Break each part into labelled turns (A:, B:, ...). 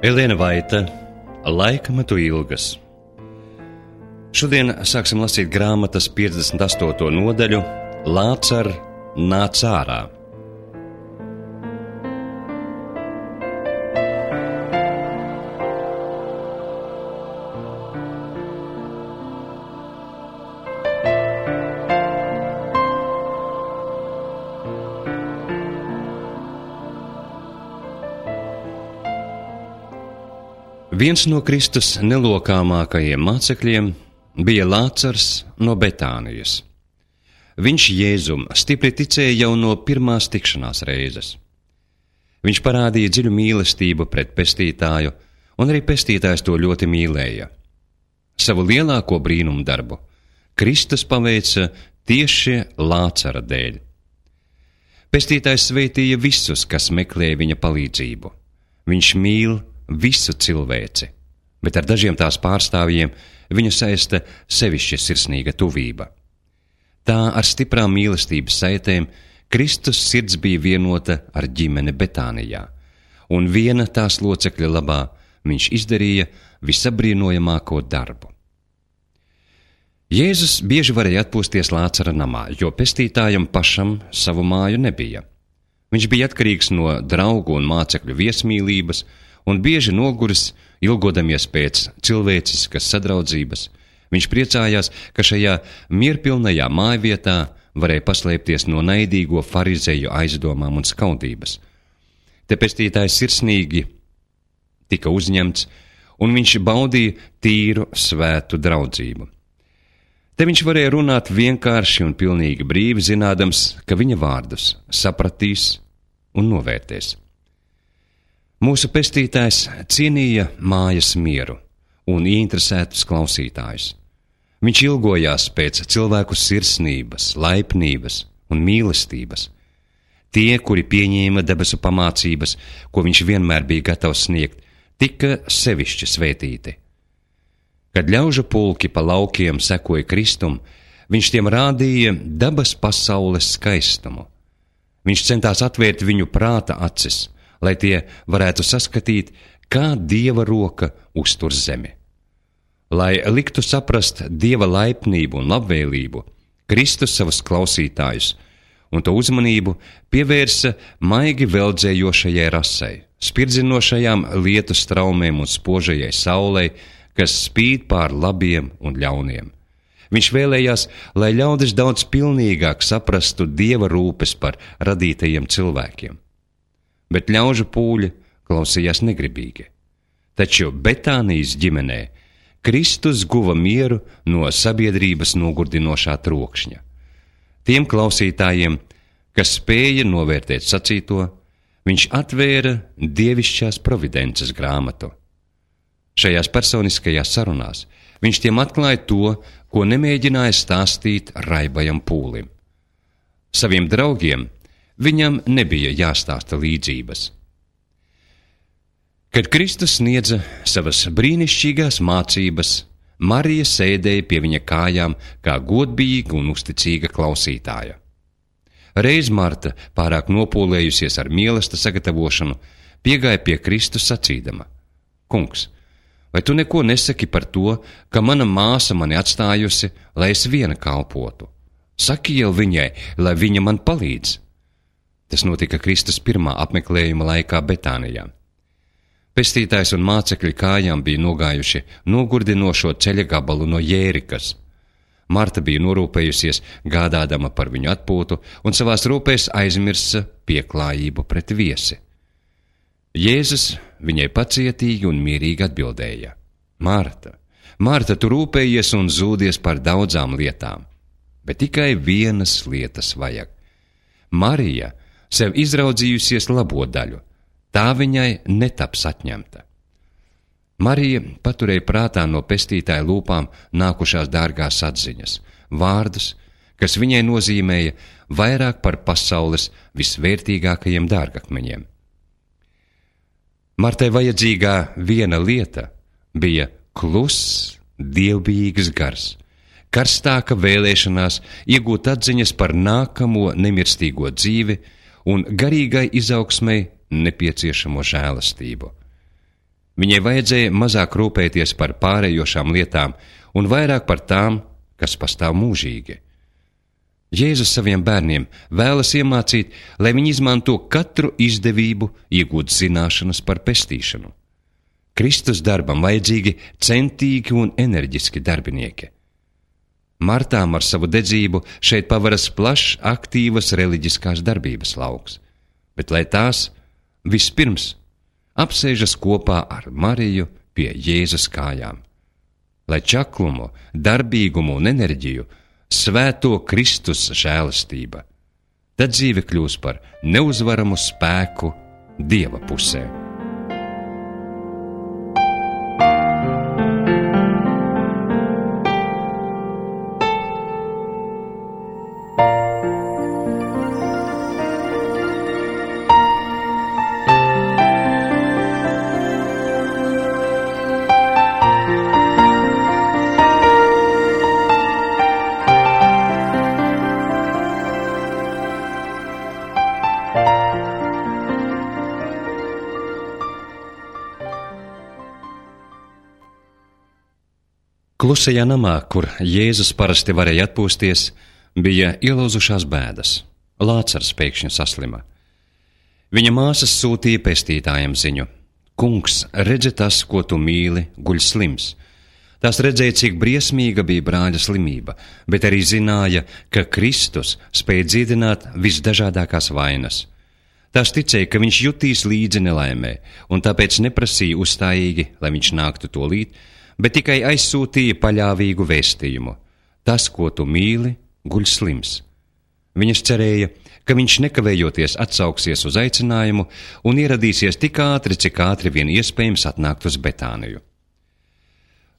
A: Elēna Vaita, Laikmetu ilgas. Šodien sāksim lasīt grāmatas 58. nodaļu Lācar nāc ārā. Viens no Kristus nelokāmākajiem mācekļiem bija Lācars no Betānijas. Viņš Jēzum stipri ticēja jau no pirmās tikšanās reizes. Viņš parādīja dziļu mīlestību pret pestītāju, un arī pestītājs to ļoti mīlēja. Savu lielāko brīnumu darbu Kristus paveica tieši Lācara dēļ. Pestītājs sveitīja visus, kas meklē viņa palīdzību. Viņš mīl visu cilvēci, bet ar dažiem tās pārstāvjiem viņu saista sevišķi sirsnīga tuvība. Tā ar stiprām mīlestības saitēm Kristus sirds bija vienota ar ģimeni Betānijā, un viena tās locekļa labā viņš izdarīja visabrīnojamāko darbu. Jēzus bieži varēja atpūsties Lācara namā, jo pestītājam pašam savu māju nebija. Viņš bija atkarīgs no draugu un mācekļu viesmīlības, un bieži noguris, ilgodamies pēc cilvēciskas sadraudzības. Viņš priecājās, ka šajā mierpilnajā mājvietā varēja paslēpties no naidīgo farizeju aizdomām un skaudības. Te pestītājs sirsnīgi tika uzņemts, un viņš baudīja tīru, svētu draudzību. Te viņš varēja runāt vienkārši un pilnīgi brīvi, zinādams, ka viņa vārdus sapratīs un novērtēs. Mūsu pestītājs cienīja mājas mieru un ieinteresētus klausītājus. Viņš ilgojās pēc cilvēku sirsnības, laipnības un mīlestības. Tie, kuri pieņēma debesu pamācības, ko viņš vienmēr bija gatavs sniegt, tika sevišķi svētīti. Kad ļaužu pulki pa laukiem sekoja Kristum, viņš tiem rādīja dabas pasaules skaistumu. Viņš centās atvērt viņu prāta acis, lai tie varētu saskatīt, kā Dieva roka uztur zemi. Lai liktu saprast Dieva laipnību un labvēlību, Kristus savus klausītājus un to uzmanību pievērsa maigi veldzējošajai rasei, spirdzinošajām lietu straumēm un spožajai saulei, kas spīd pār labiem un ļauniem. Viņš vēlējās, lai ļaudis daudz pilnīgāk saprastu Dieva rūpes par radītajiem cilvēkiem. Bet ļaužu pūļi klausījās negribīgi. Taču Betānijas ģimenē Kristus guva mieru no sabiedrības nogurdinošā trokšņa. Tiem klausītājiem, kas spēja novērtēt sacīto, viņš atvēra dievišķās providences grāmatu. Šajās personiskajās sarunās viņš tiem atklāja to, ko nemēģināja stāstīt raibajam pūlim. Saviem draugiem viņam nebija jāstāsta līdzības. Kad Kristus sniedza savas brīnišķīgās mācības, Marija sēdēja pie viņa kājām kā godbijīga un uzticīga klausītāja. Reiz Marta, pārāk nopūlējusies ar mielasta sagatavošanu, piegāja pie Kristus sacīdama: Kungs, vai tu neko nesaki par to, ka mana māsa mani atstājusi, lai es viena kalpotu? Saki jau viņai, lai viņa man palīdz. Tas notika Kristus pirmā apmeklējuma laikā Betānijā. Pestītājs un mācekļi kājām bija nogājuši nogurdinošo ceļa gabalu no Jērikas. Marta bija norūpējusies, gādādama par viņu atpūtu, un savās rūpēs aizmirsa pieklājību pret viesi. Jēzus viņai pacietīgi un mierīgi atbildēja: Marta, Marta, tu rūpējies un zūdies par daudzām lietām, bet tikai vienas lietas vajag. Marija sev izraudzījusies labo daļu, tā viņai netaps atņemta. Marija paturēja prātā no pestītāja lūpām nākušās dārgās atziņas, vārdus, kas viņai nozīmēja vairāk par pasaules visvērtīgākajiem dārgakmeņiem. Martai vajadzīgā viena lieta bija kluss, dievbijīgs gars, karstāka vēlēšanās iegūt atziņas par nākamo nemirstīgo dzīvi un garīgai izaugsmei nepieciešamo žēlastību. Viņai vajadzēja mazāk rūpēties par pārējošām lietām un vairāk par tām, kas pastāv mūžīgi. Jēzus saviem bērniem vēlas iemācīt, lai viņi izmanto katru izdevību iegūt zināšanas par pestīšanu. Kristus darbam vajadzīgi centīgi un enerģiski darbinieki. Martām ar savu dedzību šeit pavaras plašs aktīvas reliģiskās darbības lauks, bet lai tās vispirms apsēžas kopā ar Mariju pie Jēzus kājām, lai čaklumu, darbīgumu un enerģiju svēto Kristus žēlastība, tad dzīve kļūs par neuzvaramu spēku Dieva pusē. Klusajā namā, kur Jēzus parasti varēja atpūsties, bija ielūzušās bēdas. Lācars pēkšņi saslima. Viņa māsas sūtīja pestītājam ziņu: Kungs, redzi, tas, ko tu mīli, guļ slims. Tās redzēja, cik briesmīga bija brāļa slimība, bet arī zināja, ka Kristus spēja dziedināt visdažādākās vainas. Tās ticēja, ka viņš jutīs līdzi nelaimē, un tāpēc neprasīja uzstājīgi, lai viņš nāktu tūlīt, bet tikai aizsūtīja paļāvīgu vēstījumu: tas, ko tu mīli, guļ slims. Viņas cerēja, ka viņš nekavējoties atsauksies uz aicinājumu un ieradīsies tik ātri, cik ātri vien iespējams atnākt uz Betāniju.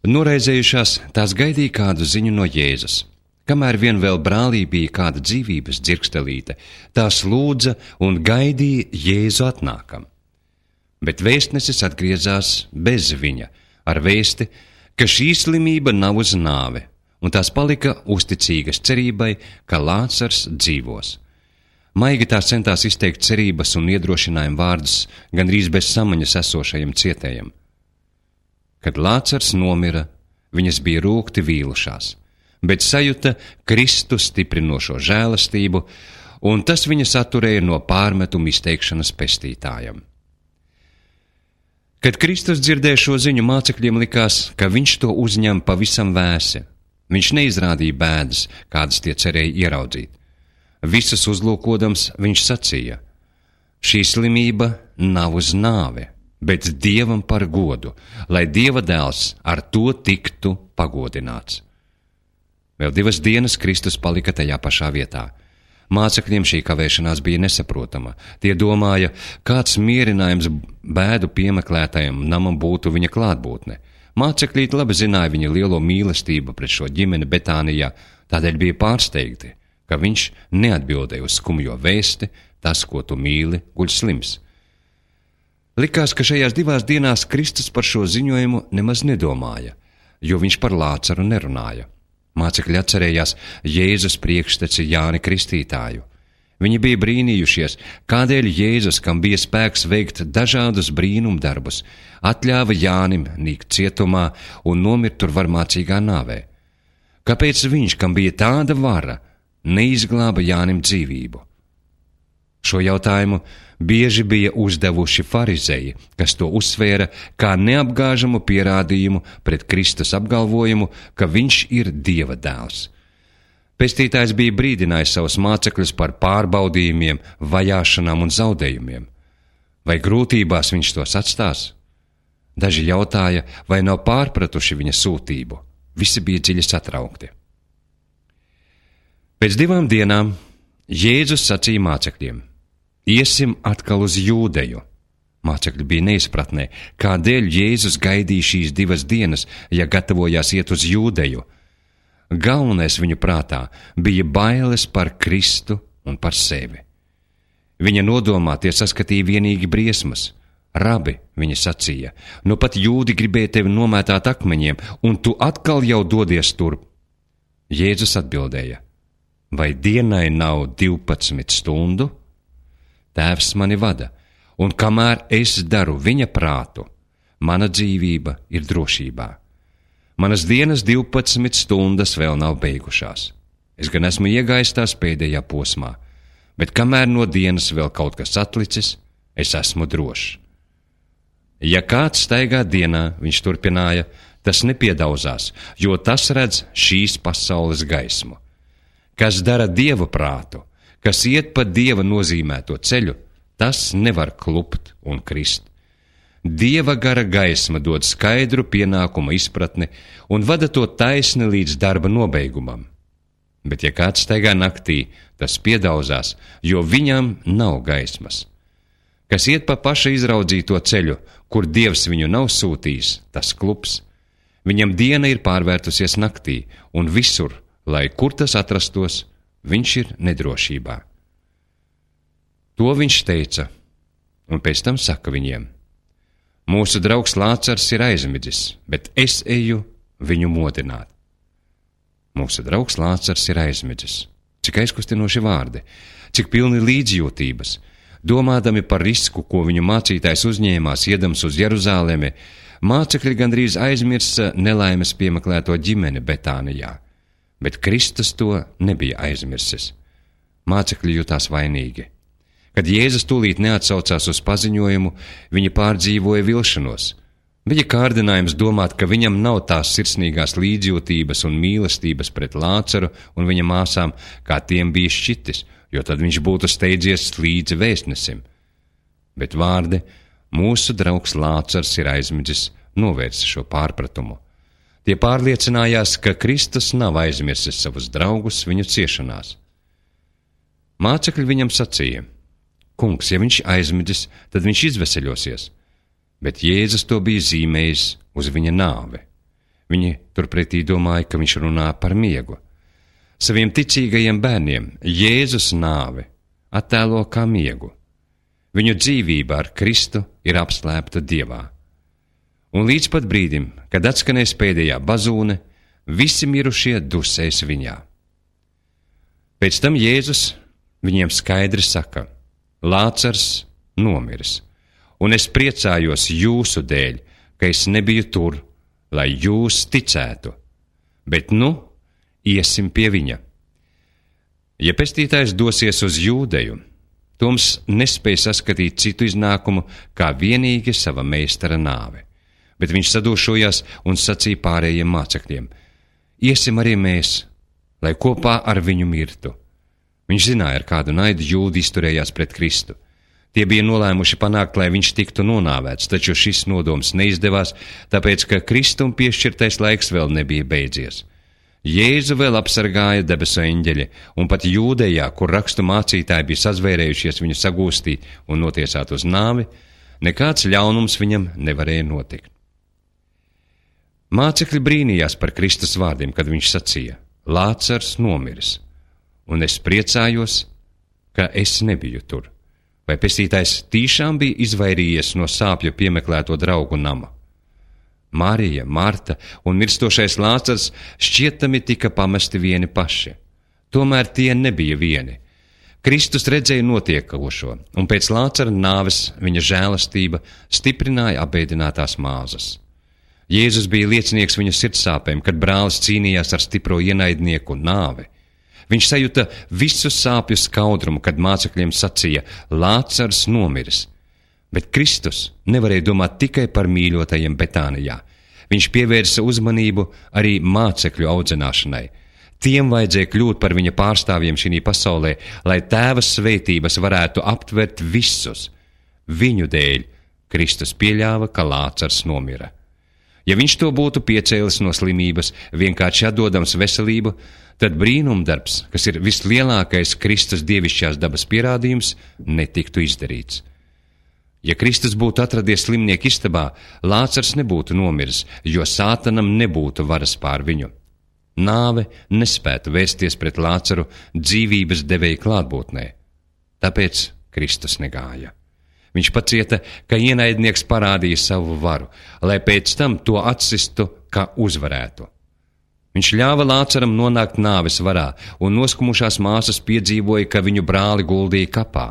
A: Noraizējušās, tās gaidīja kādu ziņu no Jēzus. Kamēr vien vēl brālī bija kāda dzīvības dzirkstelīte, tās lūdza un gaidīja Jēzu atnākam. Bet vēstnesis atgriezās bez viņa, ar vēsti, ka šī slimība nav uz nāvi, un tās palika uzticīgas cerībai, ka Lācars dzīvos. Maigi tās centās izteikt cerības un iedrošinājumu vārdus gandrīz bez samaņas esošajam cietējam. Kad Lācars nomira, viņas bija rūgti vīlušās, bet sajuta Kristu stiprinošo žēlastību, un tas viņas atturēja no pārmetumu izteikšanas pestītājam. Kad Kristus dzirdēja šo ziņu, mācekļiem likās, ka viņš to uzņem pavisam vēsi. Viņš neizrādīja bēdas, kādas tie cerēja ieraudzīt. Visus uzlūkodams, viņš sacīja: šī slimība nav uz nāvi, bet Dievam par godu, lai Dieva dēls ar to tiktu pagodināts. Vēl 2 dienas Kristus palika tajā pašā vietā. Mācekļiem šī kavēšanās bija nesaprotama. Tie domāja, kāds mierinājums bēdu piemeklētajam namam būtu viņa klātbūtne. Mācekļīti labi zināja viņa lielo mīlestību pret šo ģimeni Betānijā, tādēļ bija pārsteigti, ka viņš neatbildēja uz skumjo vēsti: tas, ko tu mīli, guļ slims. Likās, ka šajās 2 dienās Kristus par šo ziņojumu nemaz nedomāja, jo viņš par Lācaru nerunāja. Mācekļi atcerējās Jēzus priekšteci Jāni Kristītāju. Viņi bija brīnījušies, kādēļ Jēzus, kam bija spēks veikt dažādus brīnumdarbus, atļāva Jānim nīkt cietumā un nomirt tur varmācīgā nāvē. Kāpēc viņš, kam bija tāda vara, neizglāba Jānim dzīvību? Šo jautājumu bieži bija uzdevuši farizeji, kas to uzsvēra kā neapgāžamu pierādījumu pret Kristus apgalvojumu, ka viņš ir Dieva dēls. Pestītājs bija brīdinājis savus mācekļus par pārbaudījumiem, vajāšanām un zaudējumiem. Vai grūtībās viņš tos atstās? Daži jautāja, vai nav pārpratuši viņa sūtību. Visi bija dziļi satraukti. Pēc 2 dienām Jēzus sacīja mācekļiem: iesim atkal uz Jūdeju. Mācekļi bija neizpratnē, kādēļ Jēzus gaidīja šīs 2 dienas, ja gatavojās iet uz Jūdeju. Galvenais viņu prātā bija bailes par Kristu un par sevi. Viņa nodomā tie saskatīja vienīgi briesmas. Rabi, viņa sacīja, nu pat jūdi gribēja tevi nomētāt akmeņiem, un tu atkal jau dodies turp. Jēzus atbildēja: vai dienai nav 12 stundu? Tēvs mani vada, un kamēr es daru viņa prātu, mana dzīvība ir drošībā. Manas dienas 12 stundas vēl nav beigušās. Es gan esmu iegājis tās pēdējā posmā, bet kamēr no dienas vēl kaut kas atlicis, es esmu drošs. Ja kāds staigā dienā, viņš turpināja, tas nepiedauzās, jo tas redz šīs pasaules gaismu. Kas dara Dieva prātu, kas iet pa Dieva nozīmēto ceļu, tas nevar klupt un krist. Dieva gara gaisma dod skaidru pienākuma izpratni un vada to taisni līdz darba nobeigumam. Bet ja kāds staigā naktī, tas piedauzās, jo viņam nav gaismas. Kas iet pa paša izraudzīto ceļu, kur Dievs viņu nav sūtījis, tas klups. Viņam diena ir pārvērtusies naktī, un visur, lai kur tas atrastos, viņš ir nedrošībā. To viņš teica, un pēc tam saka viņiem: mūsu draugs Lācars ir aizmidzis, bet es eju viņu modināt. Mūsu draugs Lācars ir aizmidzis. Cik aizkustinoši vārdi, cik pilni līdzjūtības. Domādami par risku, ko viņu mācītājs uzņēmās, iedams uz Jeruzālemi, mācekļi gandrīz aizmirsa nelaimes piemeklēto ģimeni Betānijā, bet Kristus to nebija aizmirsis. Mācekļi jutās vainīgi. Kad Jēzus tūlīt neatsaucās uz paziņojumu, viņi pārdzīvoja vilšanos. Bija kārdinājums domāt, ka viņam nav tās sirsnīgās līdzjūtības un mīlestības pret Lācaru un viņa māsām, kā tiem bija šķitis, jo tad viņš būtu steidzies līdzi vēstnesim. Bet vārdi mūsu draugs Lācars ir aizmidzis novērsa šo pārpratumu. Tie pārliecinājās, ka Kristus nav aizmirsis savus draugus viņu ciešanās. Mācekļi viņam sacīja: Kungs, ja viņš aizmidzis, tad viņš izveseļosies. Bet Jēzus to bija zīmējis uz viņa nāvi. Viņi turpretī domāja, ka viņš runā par miegu. Saviem ticīgajiem bērniem Jēzus nāvi attēlo kā miegu. Viņu dzīvība ar Kristu ir apslēpta Dievā. Un līdz pat brīdim, kad atskanēs pēdējā bazūne, visi mirušie dusēs viņā. Pēc tam Jēzus viņiem skaidri saka: Lācars nomiris, un es priecājos jūsu dēļ, ka es nebiju tur, lai jūs ticētu, bet iesim pie viņa. Ja pestītājs dosies uz Jūdeju, Toms nespēja saskatīt citu iznākumu, kā vienīgi sava meistara nāve. Bet viņš sadūšojās un sacīja pārējiem mācekļiem: iesim arī mēs, lai kopā ar viņu mirtu. Viņš zināja, ar kādu naidu Jūdi izturējās pret Kristu. Tie bija nolēmuši panākt, lai viņš tiktu nonāvēts, taču šis nodoms neizdevās, tāpēc, ka Kristum piešķirtais laiks vēl nebija beidzies. Jēzu vēl apsargāja debesu eņģeļi, un pat Jūdejā, kur rakstu mācītāji bija sazvērējušies viņu sagūstīt un notiesāt uz nāvi, nekāds ļaunums viņam nevarēja notikt. Mācekļi brīnījās par Kristus vārdiem, kad viņš sacīja: Lācars nomiris, un es priecājos, ka es nebiju tur. Vai pestītājs tīšām bija izvairījies no sāpju piemeklēto draugu nama? Marija, Marta un mirstošais Lācars šķietami tika pamesti vieni paši. Tomēr tie nebija vieni. Kristus redzēja notiekošo, un pēc Lācara nāves viņa žēlastība stiprināja apbēdinātās māzas. Jēzus bija liecinieks viņu sirdsāpēm, kad brālis cīnījās ar stipro ienaidnieku nāvi. Viņš sajuta visu sāpju skaudrumu, kad mācekļiem sacīja: Lācars nomiris. Bet Kristus nevarēja domāt tikai par mīļotajiem Betānijā. Viņš pievērsa uzmanību arī mācekļu audzināšanai. Tiem vajadzēja kļūt par viņa pārstāvjiem šī pasaulē, lai Tēva svētības varētu aptvert visus. Viņu dēļ Kristus pieļāva, ka Lācars nomira. Ja viņš to būtu piecēlis no slimības, vienkārši atdodams veselību, tad brīnumdarbs, kas ir vislielākais Kristus dievišķās dabas pierādījums, netiktu izdarīts. Ja Kristus būtu atradies slimnieku istabā, Lācars nebūtu nomiris, jo Sātanam nebūtu varas pār viņu. Nāve nespētu vērsties pret Lācaru dzīvības devēja klātbūtnē. Tāpēc Kristus negāja. Viņš pacieta, ka ienaidnieks parādīja savu varu, lai pēc tam to atsistu, kā uzvarētu. Viņš ļāva Lācaram nonākt nāves varā, un noskumušās māsas piedzīvoja, ka viņu brāli guldīja kapā.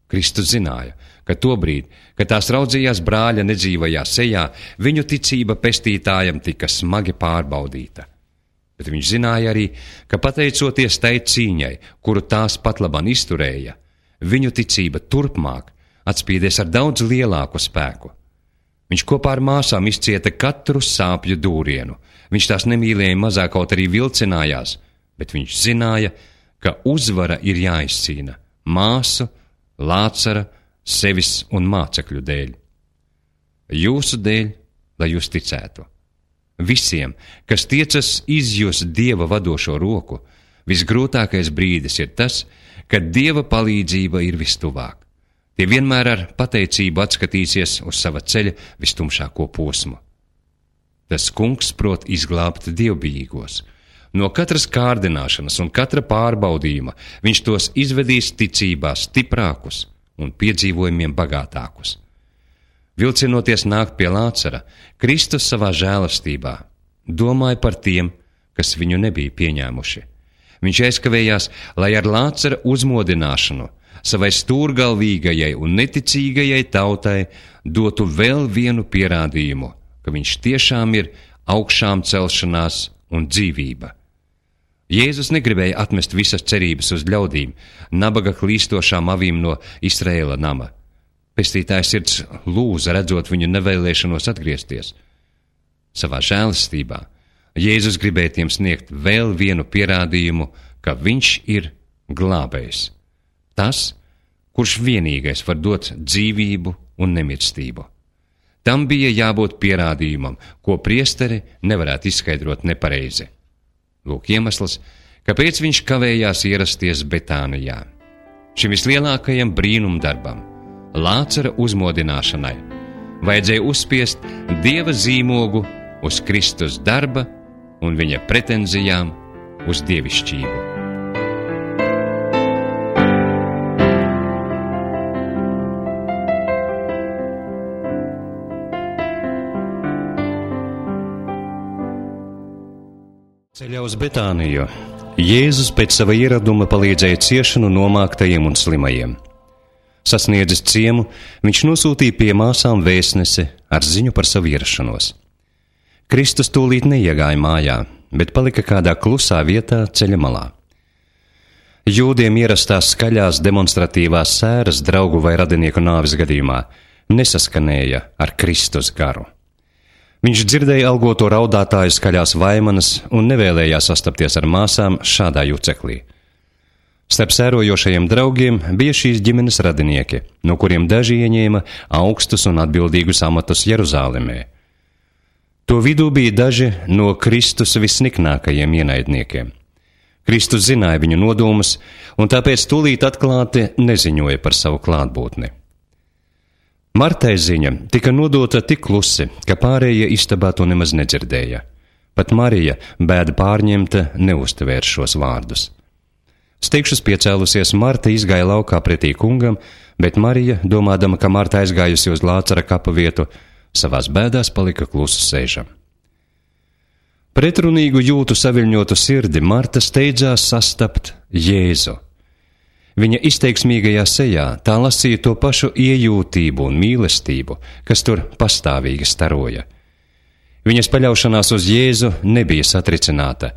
A: Kristus zināja, ka tobrīd, kad tās raudzījās brāļa nedzīvajā sejā, viņu ticība pestītājam tika smagi pārbaudīta. Bet viņš zināja arī, ka pateicoties tai cīņai, kuru tās patlaban izturēja, viņu ticība turpmāk atspīdēs ar daudz lielāku spēku. Viņš kopā ar māsām izcieta katru sāpju dūrienu. Viņš tās nemīlēja mazāk, kaut arī vilcinājās, bet viņš zināja, ka uzvara ir jāizcīna māsu, Lācara, sevis un mācekļu dēļ. Jūsu dēļ, lai jūs ticētu. Visiem, kas tiecas izjust Dieva vadošo roku, visgrūtākais brīdis ir tas, kad Dieva palīdzība ir vistuvāk. Tie vienmēr ar pateicību atskatīsies uz sava ceļa vistumšāko posmu. Tas kungs prot izglābt dievbijīgos. No katras kārdināšanas un katra pārbaudījuma viņš tos izvedīs ticībā stiprākus un piedzīvojumiem bagātākus. Vilcinoties nākt pie Lācara, Kristus savā žēlastībā domāja par tiem, kas viņu nebija pieņēmuši. Viņš aizkavējās, lai ar Lācara uzmodināšanu savai stūrgalvīgajai un neticīgajai tautai dotu vēl vienu pierādījumu, ka viņš tiešām ir augšām celšanās un dzīvība. Jēzus negribēja atmest visas cerības uz ļaudīm, nabaga klīstošām avīm no Izraēla nama. Pestītājs sirds lūza, redzot viņu nevēlēšanos atgriezties. Savā žēlastībā Jēzus gribēja tiem sniegt vēl vienu pierādījumu, ka viņš ir glābējs. Tas, kurš vienīgais var dot dzīvību un nemirstību. Tam bija jābūt pierādījumam, ko priesteri nevarētu izskaidrot nepareizi. Lūk iemesls, kāpēc viņš kavējās ierasties Betānijā. Šim vislielākajam brīnumdarbam, Lācara uzmodināšanai, vajadzēja uzspiest Dieva zīmogu uz Kristus darba un viņa pretenzijām uz dievišķību. Ceļā uz Betāniju Jēzus pēc sava ieraduma palīdzēja ciešanu nomāktajiem un slimajiem. Sasniedzis ciemu, viņš nosūtīja pie māsām vēstnesi ar ziņu par savu ierašanos. Kristus tūlīt neiegāja mājā, bet palika kādā klusā vietā ceļa malā. Jūdiem ierastās skaļās demonstratīvās sēras draugu vai radinieku nāves gadījumā nesaskanēja ar Kristus garu. Viņš dzirdēja algoto raudātāju skaļās vaimanas un nevēlējās sastapties ar māsām šādā juceklī. Starp sērojošajiem draugiem bija šīs ģimenes radinieki, no kuriem daži ieņēma augstus un atbildīgus amatus Jeruzālemē. To vidū bija daži no Kristus visniknākajiem ienaidniekiem. Kristus zināja viņu nodomus, un tāpēc tūlīt atklāti neziņoja par savu klātbūtni. Martai ziņa tika nodota tik klusi, ka pārējie istabā to nemaz nedzirdēja. Pat Marija, bēda pārņemta, neuztvēra šos vārdus. Steigšus piecēlusies, Marta izgāja laukā pretī kungam, bet Marija, domādama, ka Marta aizgājusi uz Lācara kapa vietu, savās bēdās palika klusu sēžam. Pretrunīgu jūtu saviļņotu sirdi Marta steidzās sastapt Jēzu. Viņa izteiksmīgajā sejā tā lasīja to pašu iejūtību un mīlestību, kas tur pastāvīgi staroja. Viņas paļaušanās uz Jēzu nebija satricināta,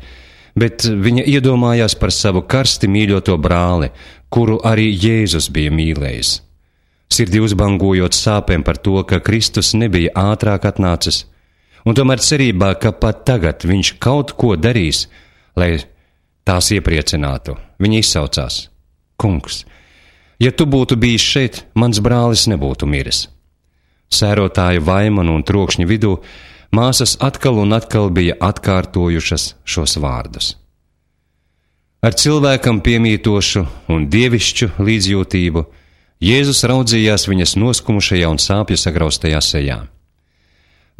A: bet viņa iedomājās par savu karsti mīļoto brāli, kuru arī Jēzus bija mīlējis. Sirdi uzbangojot sāpēm par to, ka Kristus nebija ātrāk atnācis, un tomēr cerībā, ka pat tagad viņš kaut ko darīs, lai tās iepriecinātu, viņa izsaucās: Kungs, ja tu būtu bijis šeit, mans brālis nebūtu miris. Sērotāju vaimanu un trokšņu vidū māsas atkal un atkal bija atkārtojušas šos vārdus. Ar cilvēkam piemītošu un dievišķu līdzjūtību Jēzus raudzījās viņas noskumušajā un sāpju sagraustajā sejā.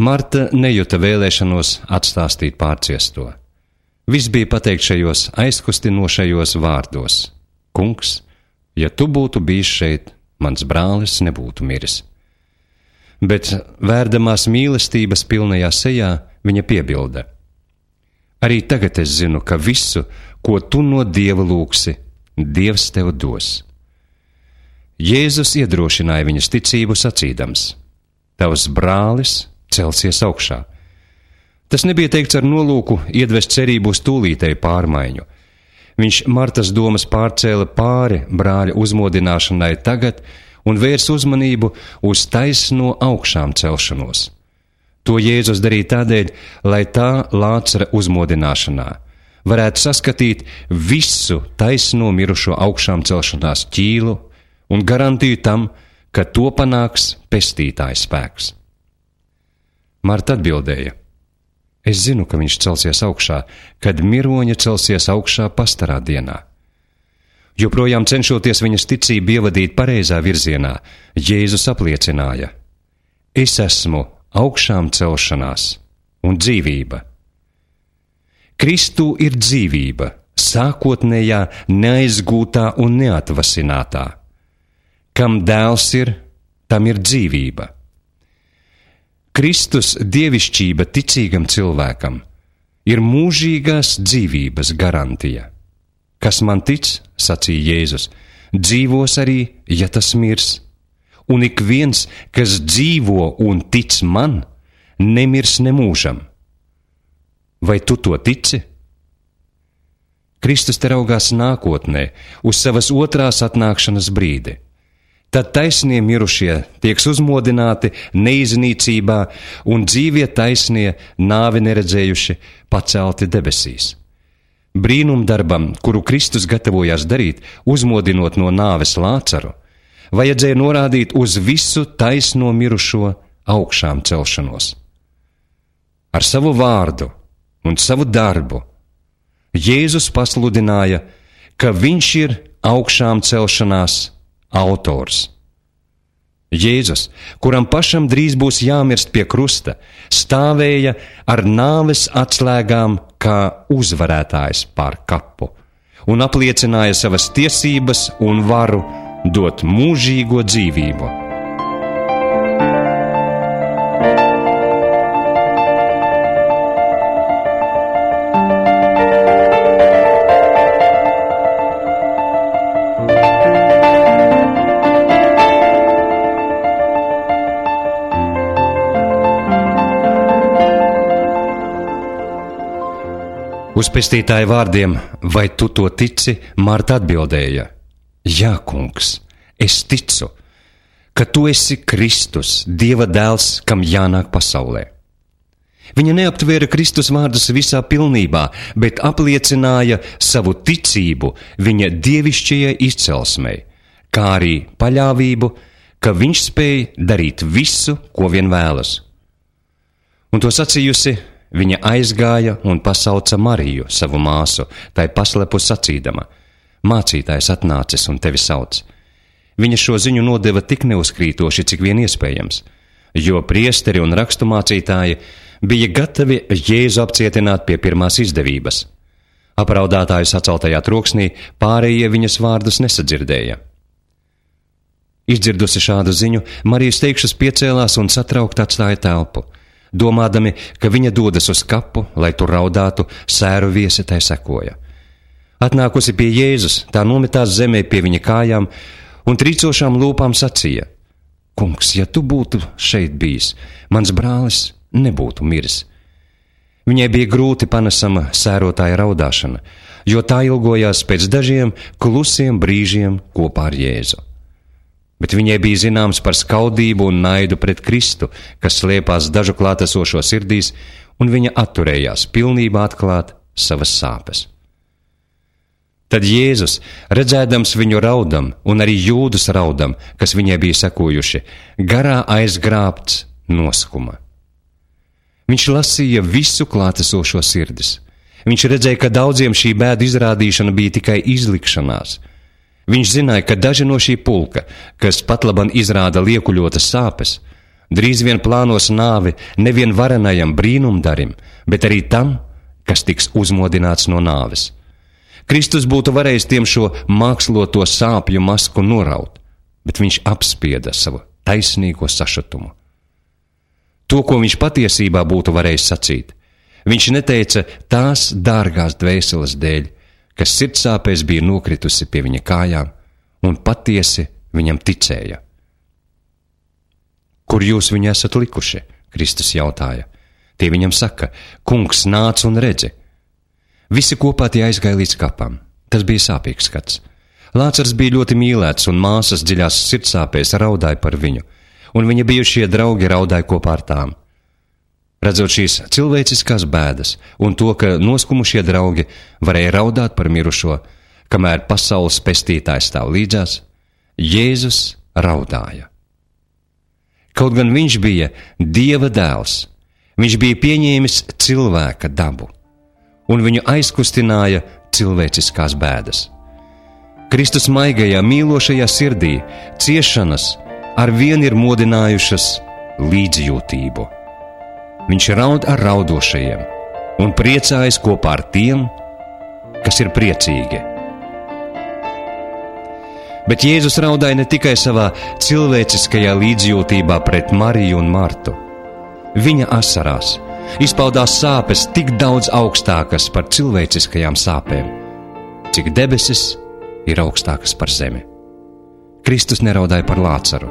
A: Marta nejuta vēlēšanos atstāstīt pārciesto. Viss bija pateikt šajos aizkustinošajos vārdos: Kungs, ja tu būtu bijis šeit, mans brālis nebūtu miris. Bet vērdamās mīlestības pilnajā sejā viņa piebilda: Arī tagad es zinu, ka visu, ko tu no Dieva lūgsi, Dievs tev dos. Jēzus iedrošināja viņas ticību sacīdams: Tavs brālis celsies augšā. Tas nebija teikts ar nolūku iedvest cerību uz tūlītēju pārmaiņu. Viņš Martas domas pārcēla pāri brāļa uzmodināšanai tagad un vērs uzmanību uz taisno augšām celšanos. To Jēzus darīja tādēļ, lai tā Lācara uzmodināšanā varētu saskatīt visu taisno mirušo augšām celšanās ķīlu un garantiju tam, ka to panāks pestītāja spēks. Marta atbildēja: Es zinu, ka viņš celsies augšā, kad miroņi celsies augšā pastarā dienā. Joprojām cenšoties viņas ticību ievadīt pareizā virzienā, Jēzus apliecināja: Es esmu augšām celšanās un dzīvība. Kristū ir dzīvība, sākotnējā, neaizgūtā un neatvasinātā. Kam dēls ir, tam ir dzīvība. Kristus dievišķība ticīgam cilvēkam ir mūžīgās dzīvības garantija. Kas man tic, sacīja Jēzus, dzīvos arī, ja tas mirs. Un ik viens, kas dzīvo un tic man, nemirs nemūžam. Vai tu to tici? Kristus te raugās nākotnē, uz savas otrās atnākšanas brīdi. Tad taisnie mirušie tieks uzmodināti neiznīcībā un dzīvie taisnie, nāvi neredzējuši, pacelti debesīs. Brīnumdarbam, kuru Kristus gatavojās darīt, uzmodinot no nāves Lācaru, vajadzēja norādīt uz visu taisno mirušo augšām celšanos. Ar savu vārdu un savu darbu Jēzus pasludināja, ka viņš ir augšām celšanās autors. Jēzus, kuram pašam drīz būs jāmirst pie krusta, stāvēja ar nāves atslēgām kā uzvarētājs pār kapu un apliecināja savas tiesības un varu dot mūžīgo dzīvību. Uz pestītāja vārdiem: Vai tu to tici? Marta atbildēja: Jā, kungs, es ticu, ka tu esi Kristus, Dieva dēls, kam jānāk pasaulē. Viņa neaptvēra Kristus vārdus visā pilnībā, bet apliecināja savu ticību viņa dievišķajai izcelsmei, kā arī paļāvību, ka viņš spēj darīt visu, ko vien vēlas. Un to sacījusi, viņa aizgāja un pasauca Mariju, savu māsu, tai paslepu sacīdama: Mācītājs atnācis un tevi sauc. Viņa šo ziņu nodeva tik neuzkrītoši, cik vien iespējams, jo priesteri un raksturmācītāji bija gatavi Jēzu apcietināt pie pirmās izdevības. Apraudātāju saceltajā troksnī pārējie viņas vārdus nesadzirdēja. Izdzirdusi šādu ziņu, Marijas teikšus piecēlās un satraukti atstāja telpu, domādami, ka viņa dodas uz kapu, lai tur raudātu, sēru viesi tai sekoja. Atnākusi pie Jēzus, tā nometās zemē pie viņa kājām un trīcošām lūpām sacīja: Kungs, ja tu būtu šeit bijis, mans brālis nebūtu miris. Viņai bija grūti panesama sērotāja raudāšana, jo tā ilgojās pēc dažiem klusiem brīžiem kopā ar Jēzu. Bet viņai bija zināms par skaudību un naidu pret Kristu, kas slēpās dažu klātesošo sirdīs, un viņa atturējās pilnībā atklāt savas sāpes. Tad Jēzus, redzēdams viņu raudam un arī jūdus raudam, kas viņai bija sekojuši, garā aizgrābts noskuma. Viņš lasīja visu klātesošo sirdis. Viņš redzēja, ka daudziem šī bēdu izrādīšana bija tikai izlikšanās. Viņš zināja, ka daži no šī pulka, kas patlaban izrāda liekuļotas sāpes, drīz vien plānos nāvi nevien varenajam brīnumdarim, bet arī tam, kas tiks uzmodināts no nāves. Kristus būtu varējis tiem šo māksloto sāpju masku noraut, bet viņš apspieda savu taisnīgo sašutumu. To, ko viņš patiesībā būtu varējis sacīt, viņš neteica tās dārgās dvēseles dēļ, kas sirdsāpēs bija nokritusi pie viņa kājām un patiesi viņam ticēja. Kur jūs viņu esat likuši? Kristus jautāja. Tie viņam saka, kungs, nāc un redzi. Visi kopā tie aizgāja līdz kapam. Tas bija sāpīgs skats. Lācars bija ļoti mīlēts, un māsas dziļās sirdsāpēs raudāja par viņu, un viņa bijušie draugi raudāja kopā ar tām. Redzot šīs cilvēciskās bēdas un to, ka noskumušie draugi varēja raudāt par mirušo, kamēr pasaules pestītājs stāv līdzās, Jēzus raudāja. Kaut gan viņš bija Dieva dēls, viņš bija pieņēmis cilvēka dabu, un viņu aizkustināja cilvēciskās bēdas. Kristus maigajā, mīlošajā sirdī ciešanas arvien ir modinājušas līdzjūtību. Viņš raud ar raudošajiem un priecājas kopā ar tiem, kas ir priecīgi. Bet Jēzus raudāja ne tikai savā cilvēciskajā līdzjūtībā pret Mariju un Martu. Viņa asarās izpaudās sāpes tik daudz augstākas par cilvēciskajām sāpēm, cik debesis ir augstākas par zemi. Kristus neraudāja par Lācaru,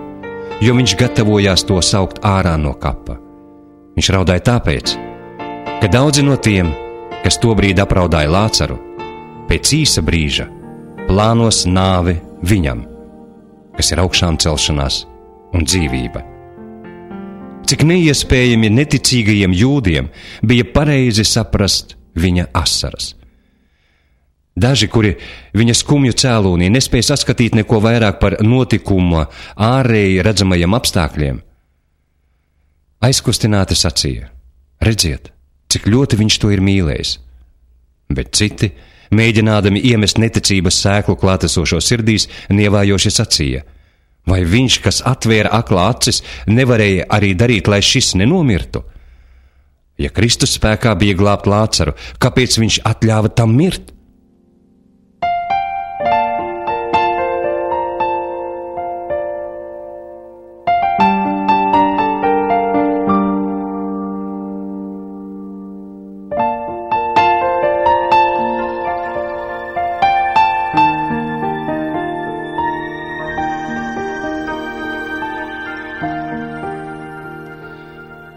A: jo viņš gatavojās to saukt ārā no kapa. Viņš raudāja tāpēc, ka daudzi no tiem, kas tobrīd apraudāja Lācaru, pēc īsa brīža plānos nāvi viņam, kas ir augšām celšanās un dzīvība. Cik neiespējami neticīgajiem jūdiem bija pareizi saprast viņa asaras. Daži, kuri viņa skumju cēlonī nespēja saskatīt neko vairāk par notikuma ārēji redzamajiem apstākļiem, aizkustināti sacīja, redziet, cik ļoti viņš to ir mīlējis. Bet citi, mēģinādami iemest neticības sēklu klātesošo sirdīs, nievājoši sacīja, vai viņš, kas atvēra aklā acis, nevarēja arī darīt, lai šis nenomirtu? Ja Kristus spēkā bija glābt Lācaru, kāpēc viņš atļāva tam mirt?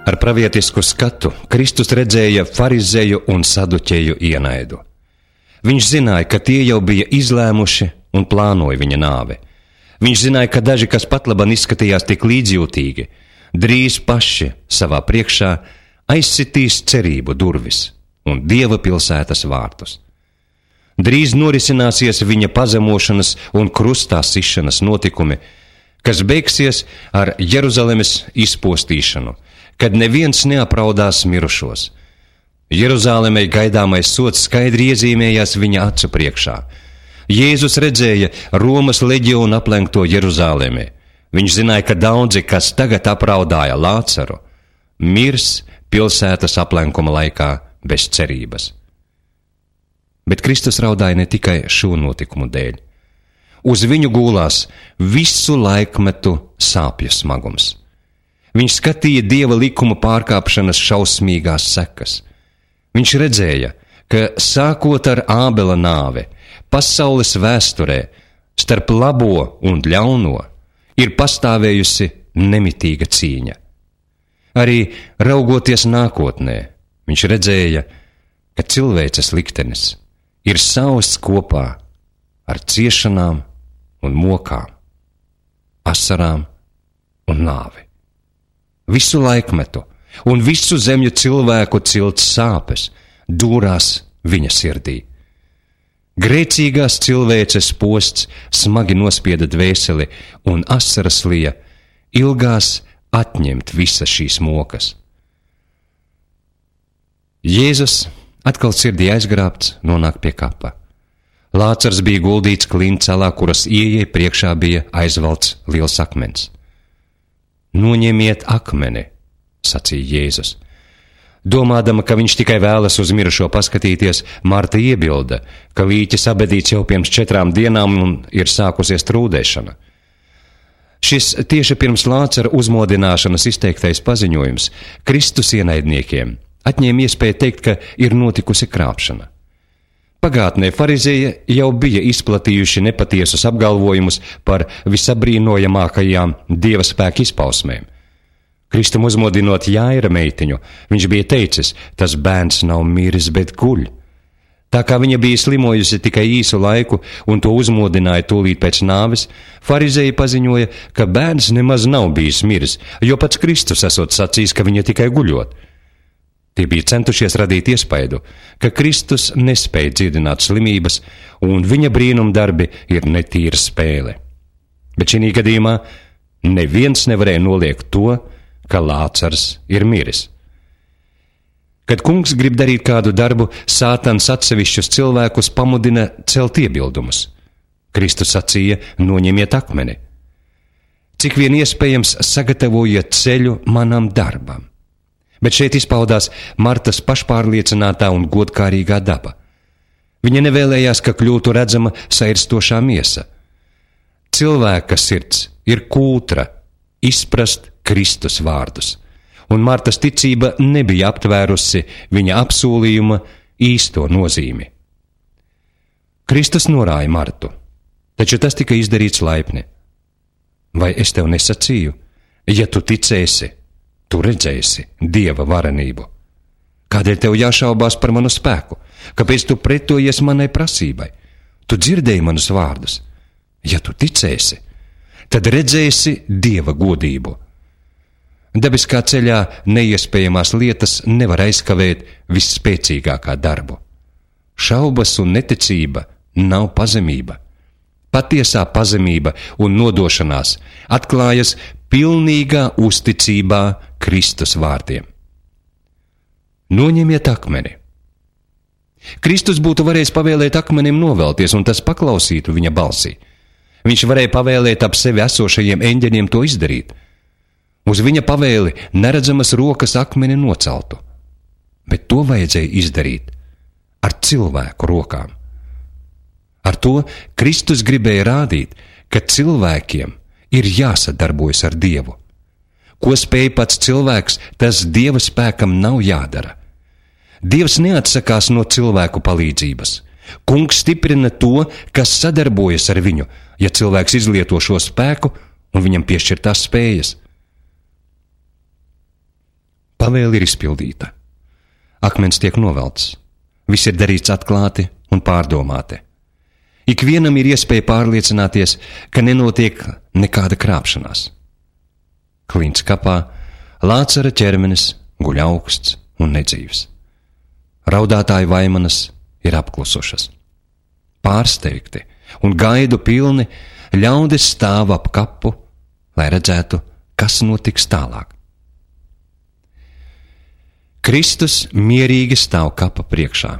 A: Ar pravietisku skatu Kristus redzēja farizeju un saduķeju ienaidu. Viņš zināja, ka tie jau bija izlēmuši un plānoja viņa nāvi. Viņš zināja, ka daži, kas patlaban izskatījās tik līdzjūtīgi, drīz paši savā priekšā aizsitīs cerību durvis un Dieva pilsētas vārtus. Drīz norisināsies viņa pazemošanas un krustā sišanas notikumi, kas beigsies ar Jeruzalemes izpostīšanu, kad neviens neapraudās mirušos. Jeruzālemei gaidāmais sods skaidri iezīmējās viņa acu priekšā. Jēzus redzēja Romas leģionu aplenkto Jeruzālemi. Viņš zināja, ka daudzi, kas tagad apraudāja Lācaru, mirs pilsētas aplenkuma laikā bez cerības. Bet Kristus raudāja ne tikai šo notikumu dēļ. Uz viņu gulās visu laikmetu sāpju smagums. Viņš skatīja Dieva likuma pārkāpšanas šausmīgās sekas. Viņš redzēja, ka sākot ar Ābela nāvi, pasaules vēsturē starp labo un ļauno ir pastāvējusi nemitīga cīņa. Arī raugoties nākotnē, viņš redzēja, ka cilvēces liktenis ir sausts kopā ar ciešanām un mokām, asarām un nāvi. Visu laikmetu un visu zemju cilvēku cilts sāpes dūrās viņa sirdī. Grēcīgās cilvēces posts smagi nospieda dvēseli, un asaras lija ilgās atņemt visas šīs mokas. Jēzus, atkal sirdī aizgrābts, nonāk pie kapa. Lācars bija guldīts klincelā, kuras ieejai priekšā bija aizvalts liels akmens. Noņemiet akmeni, sacīja Jēzus. Domādama, ka viņš tikai vēlas uz mirušo paskatīties, Marta iebilda, ka līķis abedīts jau pirms 4 dienām un ir sākusies trūdēšana. Šis tieši pirms Lācara uzmodināšanas izteiktais paziņojums Kristus ienaidniekiem atņēma iespēju teikt, ka ir notikusi krāpšana. Pagātnē farizēji jau bija izplatījuši nepatiesus apgalvojumus par visabrīnojamākajām Dieva spēka izpausmēm. Kristum uzmodinot Jaira meitiņu, viņš bija teicis, tas bērns nav miris, bet guļ. Tā kā viņa bija slimojusi tikai īsu laiku un to uzmodināja tūlīt pēc nāves, farizēji paziņoja, ka bērns nemaz nav bijis miris, jo pats Kristus esot sacījis, ka viņa tikai guļot. Tie bija centušies radīt iespaidu, ka Kristus nespēja dziedināt slimības un viņa brīnumdarbi ir netīra spēle. Bet šī gadījumā neviens nevarēja noliegt to, ka Lācars ir miris. Kad kungs grib darīt kādu darbu, Sātans atsevišķus cilvēkus pamudina celt iebildumus. Kristus sacīja, noņemiet akmeni. Cik vien iespējams sagatavojiet ceļu manam darbam. Bet šeit izpaudās Martas pašpārliecinātā un godkārīgā daba. Viņa nevēlējās, ka kļūtu redzama sairstošā miesa. Cilvēka sirds ir kūtra izprast Kristus vārdus, un Martas ticība nebija aptvērusi viņa apsolījuma īsto nozīmi. Kristus norāja Martu, taču tas tika izdarīts laipni. Vai es tev nesacīju, ja tu ticēsi, tu redzēsi Dieva varenību? Kādēļ tev jāšaubās par manu spēku? Kāpēc tu pretojies manai prasībai? Tu dzirdēji manus vārdus. Ja tu ticēsi, tad redzēsi Dieva godību. Dabiskā ceļā neiespējamās lietas nevar aizkavēt visspēcīgākā darbu. Šaubas un neticība nav pazemība. Patiesā pazemība un nodošanās atklājas pilnīgā uzticībā Kristus vārdiem. Noņemiet akmeni. Kristus būtu varējis pavēlēt akmenim novelties, un tas paklausītu viņa balsī. Viņš varēja pavēlēt ap sevi esošajiem eņģeļiem to izdarīt. Uz viņa pavēli neredzamas rokas akmeni noceltu, bet to vajadzēja izdarīt ar cilvēku rokām. Ar to Kristus gribēja rādīt, ka cilvēkiem ir jāsadarbojas ar Dievu. Ko spēj pats cilvēks, tas Dieva spēkam nav jādara. Dievs neatsakās no cilvēku palīdzības. Kungs stiprina to, kas sadarbojas ar viņu, ja cilvēks izlieto šo spēku un viņam piešķirtās spējas. Pavēle ir izpildīta. Akmens tiek novelts. Viss ir darīts atklāti un pārdomāti. Ikvienam ir iespēja pārliecināties, ka nenotiek nekāda krāpšanās. Klints kapā, Lācara ķermenis guļ augsts un nedzīvs. Raudātāju vaimanas ir apklusušas. Pārsteigti un gaidu pilni ļaudis stāv ap kapu, lai redzētu, kas notiks tālāk. Kristus mierīgi stāv kapa priekšā.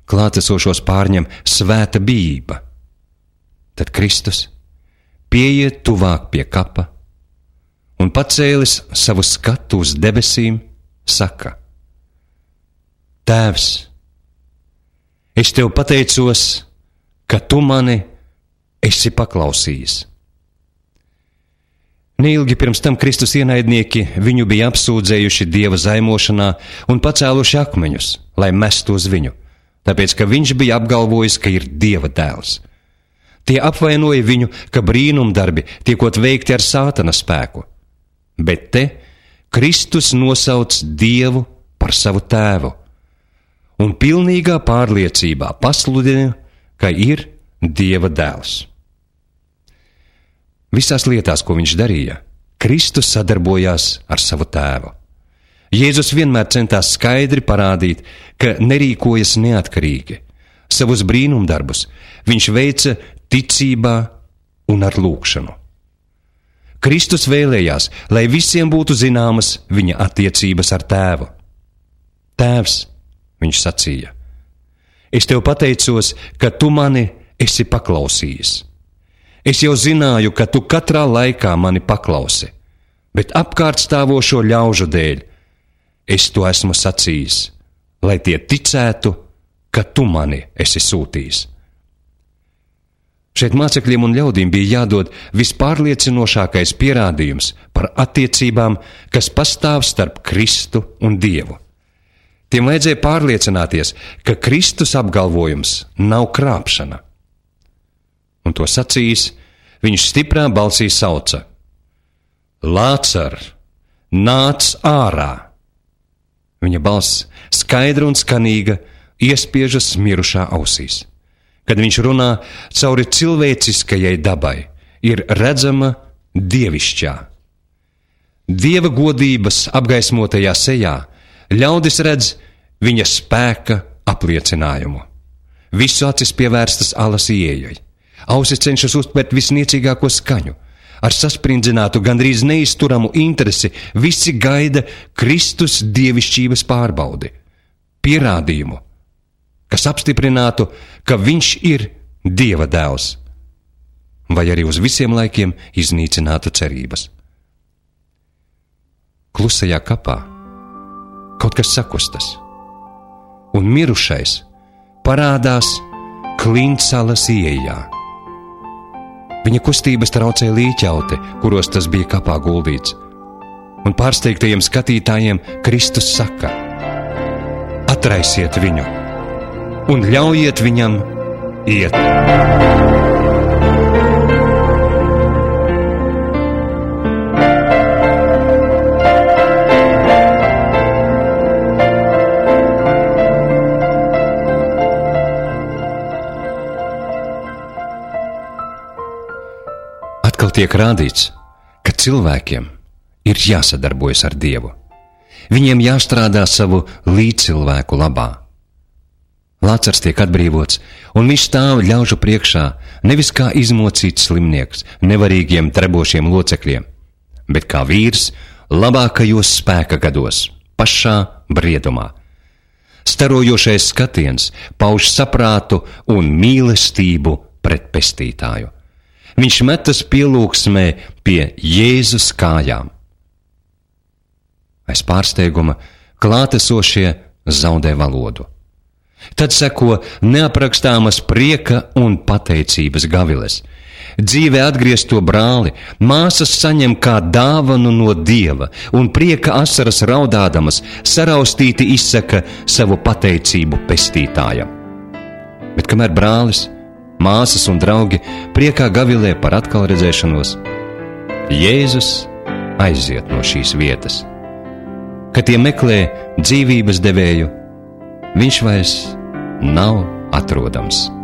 A: Klātesošos pārņem svēta bijība. Tad Kristus pieiet tuvāk pie kapa un pacēlis savu skatu uz debesīm, saka: Tēvs, es tev pateicos, ka tu mani esi paklausījis. Neilgi pirms tam Kristus ienaidnieki viņu bija apsūdzējuši Dieva zaimošanā un pacēluši akmeņus, lai mestu uz viņu, tāpēc, ka viņš bija apgalvojis, ka ir Dieva dēls. Tie apvainoja viņu, ka brīnumdarbi tiekot veikti ar Sātana spēku. Bet te Kristus nosauc Dievu par savu tēvu un pilnīgā pārliecībā pasludina, ka ir Dieva dēls. Visās lietās, ko viņš darīja, Kristus sadarbojās ar savu tēvu. Jēzus vienmēr centās skaidri parādīt, ka nerīkojas neatkarīgi. Savus brīnumdarbus viņš veica ticībā un ar lūgšanu. Kristus vēlējās, lai visiem būtu zināmas viņa attiecības ar tēvu. Tēvs, viņš sacīja, es tev pateicos, ka tu mani esi paklausījis. Es jau zināju, ka tu katrā laikā mani paklausi, bet apkārt stāvošo ļaužu dēļ es to esmu sacījis, lai tie ticētu, ka tu mani esi sūtījis. Šeit mācekļiem un ļaudīm bija jādod vispārliecinošākais pierādījums par attiecībām, kas pastāv starp Kristu un Dievu. Tiem vajadzēja pārliecināties, ka Kristus apgalvojums nav krāpšana. Un to sacījis, viņš stiprā balsī sauca: Lācar, nāc ārā! Viņa balss, skaidra un skanīga, iespiežas mirušā ausīs. Kad viņš runā cauri cilvēciskajai dabai, ir redzama dievišķā. Dieva godības apgaismotajā sejā ļaudis redz viņa spēka apliecinājumu. Visu acis pievērstas alas ieejai. Ausis cenšas uztvert visniecīgāko skaņu. Ar sasprindzinātu, gandrīz neizturamu interesi visi gaida Kristus dievišķības pārbaudi, pierādījumu, kas apstiprinātu, ka viņš ir Dieva dēls, vai arī uz visiem laikiem iznīcinātu cerības. Klusajā kapā kaut kas sakustas, un mirušais parādās Klintsalas ieejā. Viņa kustības traucē līķauti, kuros tas bija kapā guldīts, un pārsteigtajiem skatītājiem Kristus saka: Atraisiet viņu un ļaujiet viņam iet. Atkal tiek rādīts, ka cilvēkiem ir jāsadarbojas ar Dievu. Viņiem jāstrādā savu līdzcilvēku labā. Lācars tiek atbrīvots, un viņš stāv ļaužu priekšā, nevis kā izmocīts slimnieks, nevarīgiem trebošiem locekļiem, bet kā vīrs labākajos spēka gados, pašā briedumā. Starojošais skatiens pauž saprātu un mīlestību pret pestītāju. Viņš metas pielūgsmē pie Jēzus kājām. Aiz pārsteiguma klātesošie zaudē valodu. Tad seko neaprakstāmas prieka un pateicības gaviles. Dzīvē atgriezto brāli māsas saņem kā dāvanu no Dieva, un prieka asaras raudādamas saraustīti izsaka savu pateicību pestītājam. Bet kamēr brālis, māsas un draugi priekā gavilē par atkal redzēšanos, Jēzus aiziet no šīs vietas. Kad tie meklē dzīvības devēju, viņš vairs nav atrodams.